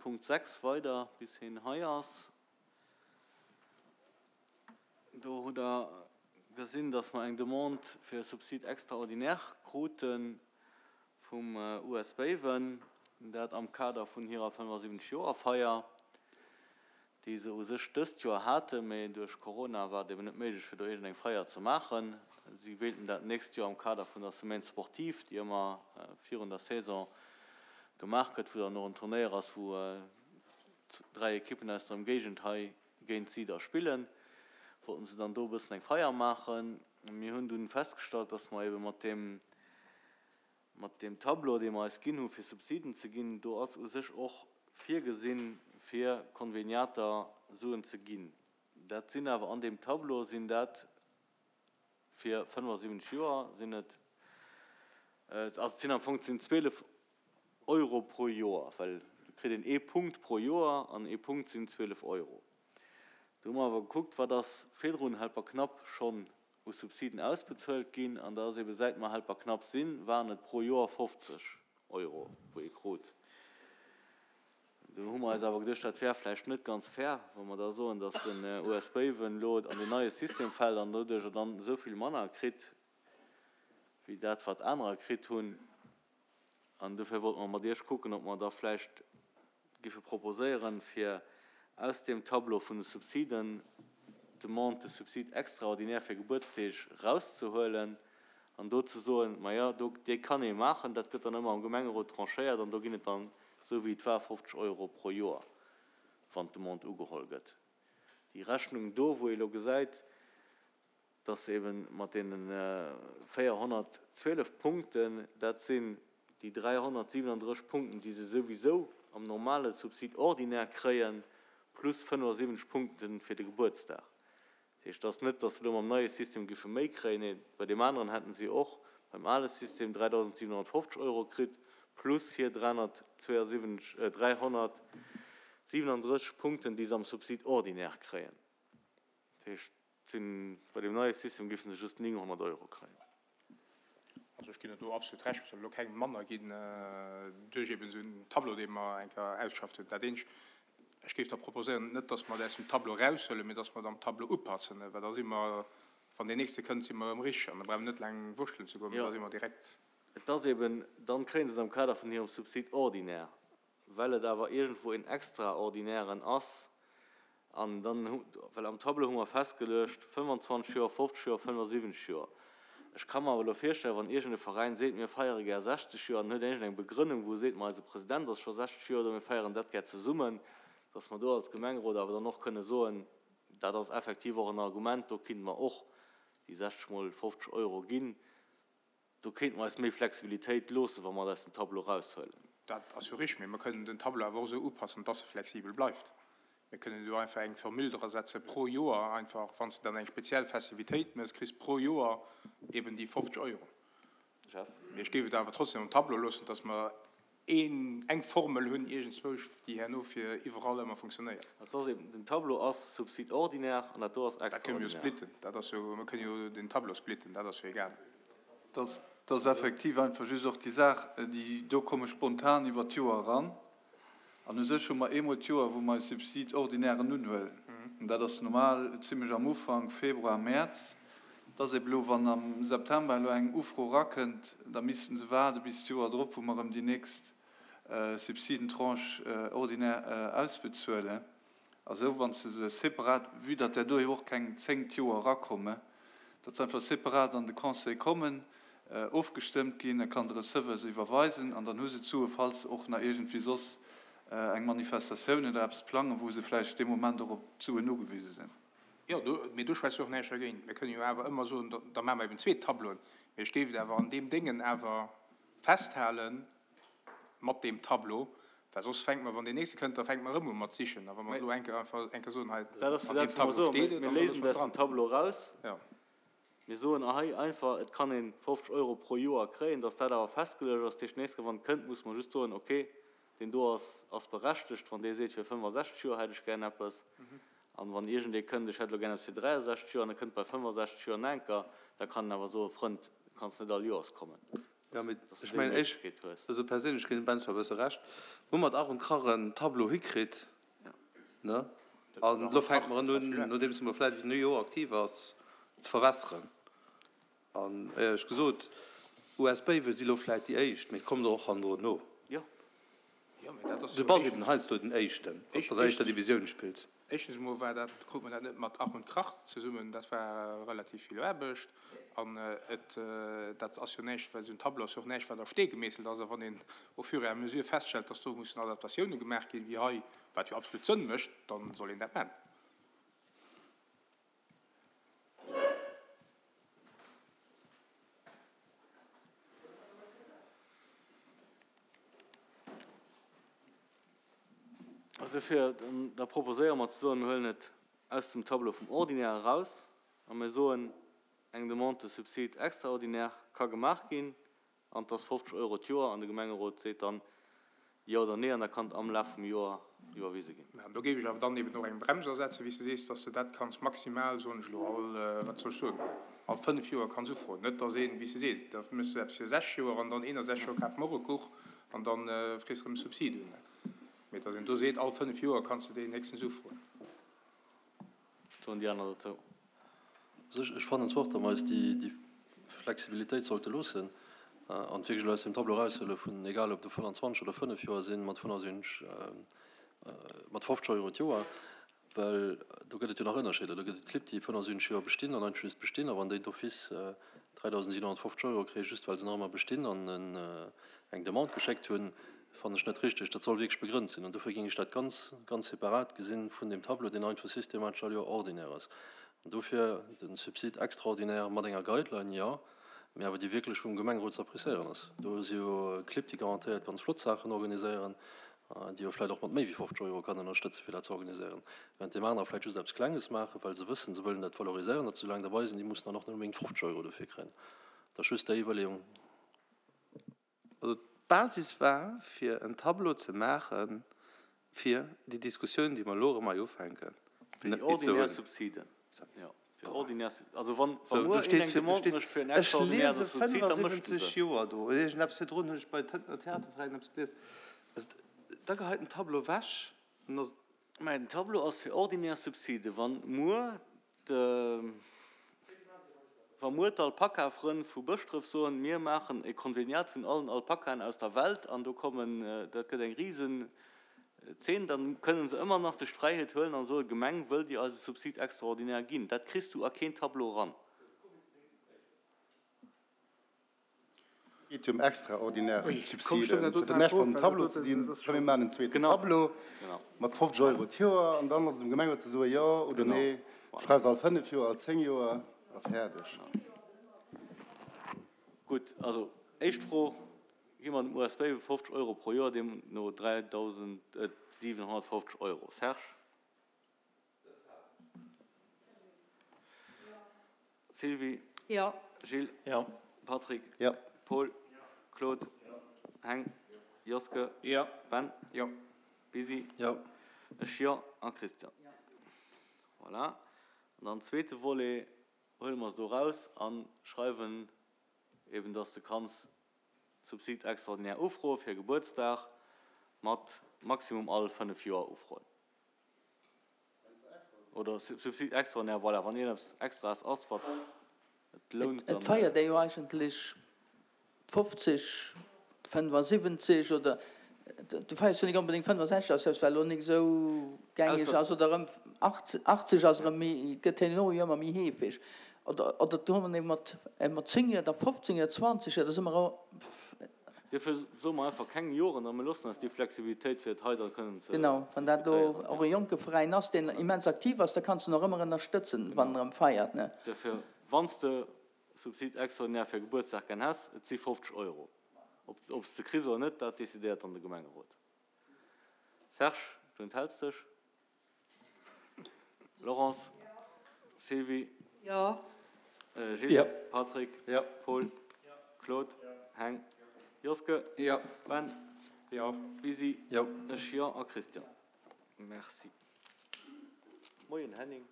Punkt 6 weider, bis hien hei ass. Do hutt Der gesinn, dass mer eng Demande fir e Subside extraordinaire krute vum US Béiwen, dat am Kader vun hirer 75 Joer Feier, déi se u sech dëst Joer haten, mee duerch Corona war et eben net méiglech fir do iergendeng Feier ze maachen. Si wéilten dat d'nächst Joer am Kader vun der Semaine sportive, déi ëmmer virun der Saison gemaach gëtt, wou dann och en Turnéier ass, wou 3 Ekippen aus der Ëmgéigend hei géint si da spillen, wollten se dann do e bëssen eng Feier maachen. Mir hunn dunn festgestallt, dass mer ebe mat deem, mat deem Tableau, dee mer eis ginn hu fir Subsiden ze ginn, do ass u sech och virgesinn, fir Konveniater Suen ze ginn. Dat sinn awer an deem Tableau sinn dat fir 75 Joer sinn et, also et sinn am Fong, et sinn 12 Euro pro Joer, well do kritt een ee Punkt pro Joer an ee Punkt sinn 12 Euro. Do hu mer awer gekuckt, wat ass virdrun Helperknapp schonn u Subsiden ausbezuelt ginn an da ass eebe säit mer Helperknapp sinn, waren et pro Joer 50 Euro, wou ee krut. Do hu mer eis awer geduecht, dat wär vläicht net ganz fair, wa mer da soen, datt den US Béiwen elo an deen neie System fält an doduercher dann esou vill manner kritt wéi dat, wat anerer kritt hunn. An dofir wollte mer mat Iech kucken, ob mer da vläicht géife proposéieren, fir aus deem Tableau vun de Subsiden d'Demande de subside extraordinaire fir Gebuertsdeeg erauszehuelen an do ze soen, Maja, do, déi kann ee maachen, dat gëtt dann ëmmer am Gemengerot tranchéiert an do ginn et dann, esou wéi et war, 50 Euro pro Joer, wann d'Demande ugeholl gëtt. Déi Rechnung do, wou ee elo gesäit, dass eben mat deene 412 Punkten, dat sinn déi 337 Punkten, déi se souwisou am normale Subside ordinaire kréien, plus 75 Punkte fir de Gebuertsdag. Dat heescht, et ass net, dass se elo mam neie System géife méi kréien, nee, bei deem aneren hätten si och beim ale System 3.750 Euro kritt, plus hir 372, 337 Punkten, déi se am Subside ordinaire kréien. Dat heescht, Sinn, bei deem neie System géifen se just 900 Euro kréien. Also ech ginn der do absolut Recht, et soll elo kengem manner ginn duerch eben esou en Tableau, dee mer eng Kéier ausgeschafft hunn. Dat eenzegt, ech géif da proposéieren, net datt mer et aus dem Tableau eraushuelen, mee datt mer et am Tableau upassen, well da si mer, wann deen nächste kënnt, si mer erëm richteg an da brauche mer net laang wurschtelen ze goen, mee da si mer direkt. Et ass eben, dann kréie se et am Kader vun hirem Subside ordinaire. Well et awer iergendwou een extraordinären ass, an dann hu, well am Tableau hu mer festgeluecht, 25 Joer, 50 Joer, 75 Joer. Ech ka mer awer elo virstellen, wann iergend e Veräin seet, mir feiere gär 60 Joer, an huet iergend eng Begrënnung, wou e seet, ma eise President ass scho 60 Joer do, mir feieren dat gär zesummen, dass mer do als Gemengerot awer dann och kënne soen, dat ass effektiv och en Argument, do kinnte mer och déi 60 mol 50 Euro ginn. Do kéinte mer eis méi Flexibilitéit loossen, wa mer et aus dem Tableau eraushuelen. Dat ass jo richtig, mee mer kënnen den Tableau awer och esou upassen, dass e flexibel bleift. Mir kënnen do einfach eng Formule dra setze pro Joer einfach, wann s de dann eng speziell Festivitéit méchs, kriss pro Joer eben déi 50 Euro. Jeff. Mee ech géif et awer trotzdem am Tableau loossen, dass mer een, eng Formel hunn iergendzwousch, déi herno fir iwwerall ëmmer funktionéiert. Dat ass eben, den Tableau ass Subside ordinaire an dat do ass Dat kënne mir jo extraordinaire. splitten, dat ass jo, mir kënne jo den Tableau splitten, dat ass jo egal. Dat ass effektiv einfach just och déi Saach, déi do komme spontan iwwert d'Joer eran. An u sech hu mer eemol d'Joer, wou mer eis Subside ordinairen unhuelen. An dat ass normal zimlech am Ufank, Februar, Mäerz. Et ass ebe elo, wann am September elo eng Ufro erakënnt, da missten se waarde bis d'Joer drop, wou mer erëm déi nächst Subsidentranche ordinaire ausbezuelen. A sou, wann s de se separat, vue datt där do jo och keng 10 d'Joer erakommen, datt se einfach separat an de Conseil kommen, ofgestëmmt ginn, da kann de Receveur se iwwerweisen an dann hu se d'Sue, falls se och nach iergendwéi soss eng Manifestatioun oder eppes plangen, wou se vläicht dee Moment och op d'Suen ugewise sinn. Jo, do, mee do schwätzt jo och näischt dergéint. Mir kënnen jo awer ëmmer soen, da, da maache mer eben zwee Tableauen. Mee ech géif et awer an deem Déngen awer festhalen, mat deem Tableau, well soss fänke mer, wann deen nächste kënnt, da fänke mer erëm u mat sichen. A wa mer elo eng Kéier einfach eng Kéier soen, hei, Dat ass jo an deem dat, wou mer Tableau soen, steet et, mir an da léisen loosse mer et et aus dem dran. Tableau eraus. Jo. Mir soen hei einfach, et kann ee 50 Euro pro Joer kréien, dass dat awer festgeluecht ass. Dat heescht, d'nächst Kéier, wann et kënnt, muss mer just soen, okay, deen do ass, ass berechtegt, wann dee seet, fir 65 Joer hätt ech gär eppes. An wann iergendee kënnt, ech hätt elo gär eppes fir 63 Joer, an e kënnt bei 65 Joer nach eng Kéier, da kann en awer soen, Frënd, du kanns net all Joers kommen. Jo, mee ech mengen, ech, also perséinlech ginn dem Ben zwar e bësse Recht, hu mat Ach und Krach en Tableau hikritt, ne? An elo fänke mer en un, nodeems mer vläicht en Joer aktiv ass, ze verwässeren. An éierlech gesot, US Béiwe si lo vläicht déi éischt, mee et kommen der och hannendrun no. Du bass eben heiansdo den Éischten, wann s de an der éischter Divisioun spills. Éischtens emol war dat, krut mer dat net mat Ach und Krach zesummen, dat war relativ vill Aarbecht. An et, dat ass jo näischt, well esou en Tableau ass jo och näischt, wat a Stee gemeesselt ass. A wann een au fur et à mesure feststellt, dass do mussen Adaptatiounen gemaach ginn, wéi hei, wat jo absolut Sënn mécht, da soll een dat maachen. Also dofir, da proposéiere mer ze soen, mir huelen et aus dem Tableau vum Ordinaire eraus a mir soen, eng Demande de subside extraordinaire ka gemaach ginn An et ass 50 Euro d'Joer an de Gemengerot seet dann Jo oder Nee an da kann et am Laf vum Joer iwwerwise ginn. Mä do géif ech awer dann eben och eng Brems asetzen, wéi s de sees, dass de dat kanns maximal, soen ech elo, all, wat soll ech soen, all fënnf Joer kanns ufroen. Net dass een, wéi s de sees, da méchs de eppes fir sech Joer an dann 61 Joer kafe mer och e Kuch an da frees de erëm e Subsid un. Mä dass een do seet, all fënnf Joer kanns de deen héchstens ufroen. Soen déi aner dozou? Also ech fannen zwar och, datt mer eis déi Flexibilitéit sollte loossen an wierklech elo aus deem Tableau eraushuele vun, egal ob do 25 oder 5 Joer sinn, mat 75, mat 50 Euro d'Joer, well do gëtt et jo nach Ënnerscheeder. Do gëtt et Clibb, déi 75 Joer bestinn an einfach just bestinn a wann déi d'office 3.750 Euro kréien, just well se nach ëmmer bestinn an eng Demande geschéckt hunn, fannen ech net richteg. Dat soll wierklech begrënnt sinn an dofir géing ech dat ganz, ganz separat gesinn vun deem Tableau, deen einfach systematesch all Joer ordinaire ass. An dofir de Subside extraordinaire mat enger Guideline, jo, mee awer déi wierklech vum Gemengerot ze appréciéieren ass. Do si jo Clibb, déi garantéiert ganz flott Saachen organiséieren, déi jo vläicht och mat méi wéi 50 Euro kann ënnerstëtzen, fir dat ze organiséieren, während deem anerer vläicht just eppes Klenges maachen, well se wëssen, se wëllen dat valoriséieren, datt se esou laang derbei sinn, déi mussen dann och net onbedéngt 50 Euro dofir kréien. Dat ass just déi Iwwerleeung. Also d'Basis war, fir en Tableau ze maache fir déi Diskussioun, déi mer elo erëm hei ufänken, Fir déi ordinär Subsiden, jo, fir ordinär, also wann muer een eng Demande mécht fir en extraordinäre Subsid, da mécht en se. Ech liese 75 Joer do, oder iergendeppes virdrun hunn ech bei Tëntener Theaterveräin eppes gelies, also da geheit den Tableau ewech an ass. Mä den Tableau ass fir ordinär Subside. Wann muer de, wa muer d'Alpaka-Frënn vu Bëschdref soen, mir maachen e Konveniat vun allen Alpakaen aus der Welt an do kommen, dat gëtt eng risen Zeen, da kënnen se ëmmer nach sech d'Fräiheet huelen an soen, Gemeng, wëllt Dir eis e Subsid extraordinaire ginn? Dat kriss du a keen Tableau eran. Et geet jo ëm extraordinär Subsiden. Dat huet näischt mam Tableau ze dinn. Komm mir maachen en zweeten Tableau mat 50 Euro d'Joer an dann ass et um Gemengerot ze soen, jo oder nee, schreif se all 5 Joer, all 10 Joer a fäerdeg. Gutt, also éischt Fro, Gi mer dem USB 50 Euro pro Joer, deemno 3.750 Euro? Serge? Sylvie? Jo. Gilles? Jo. Patrick? Jo. Paul? Claude? Heng? Joske? Jo. Ben? Jo. Bisi? Jo. Ech jo. A Christian? Voilà. An dann zweete Volet huele mer se do raus a schreiwen eben, dass de kanns Subsid extraordinaire ufroe fir Gebuertsdag mat maximum all 5 Joer ufroen. Oder Subside extraordinaire, voilà, wann iergendeppes Extraes ass, wat et lount, dann. Et feiert ee jo eigentlech 50, 75 oder du feiers jo nik onbedéngt 65, ass selbst well elo nik esou gängeg ass, oder erëm 80 ass erëm méi, gëtt herno jo ëmmer méi heefeg. Oder oder do hu mer mat mat 10 Joer, da 15 Joer, 20 Joer, da si mer. Duerfir soe mer einfach keng Joren a mir loossen eis déi Flexibilitéit, fir et hei da kënnen ze Genau, wann dat elo och e jonke Veräin ass, deen immens aktiv ass, da kanns de en och ëmmer ënnerstëtzen, wann en erëm feiert, ne? Duerfir, wann s de Subsid extraordinaire fir e Gebuertsdag gär häss, et si 50 Euro. Ob s de kriss oder net, dat decidéiert dann de Gemengerot. Serge, du enthälts dech? Laurence, Sylvie, Jo. Gilles, Jo. Patrick, Jo. Paul, Claude, Heng, Joske, Jo. Ben, Jo. Bisi, Jo. Ech jo a Christian. Merci. Moien Henning.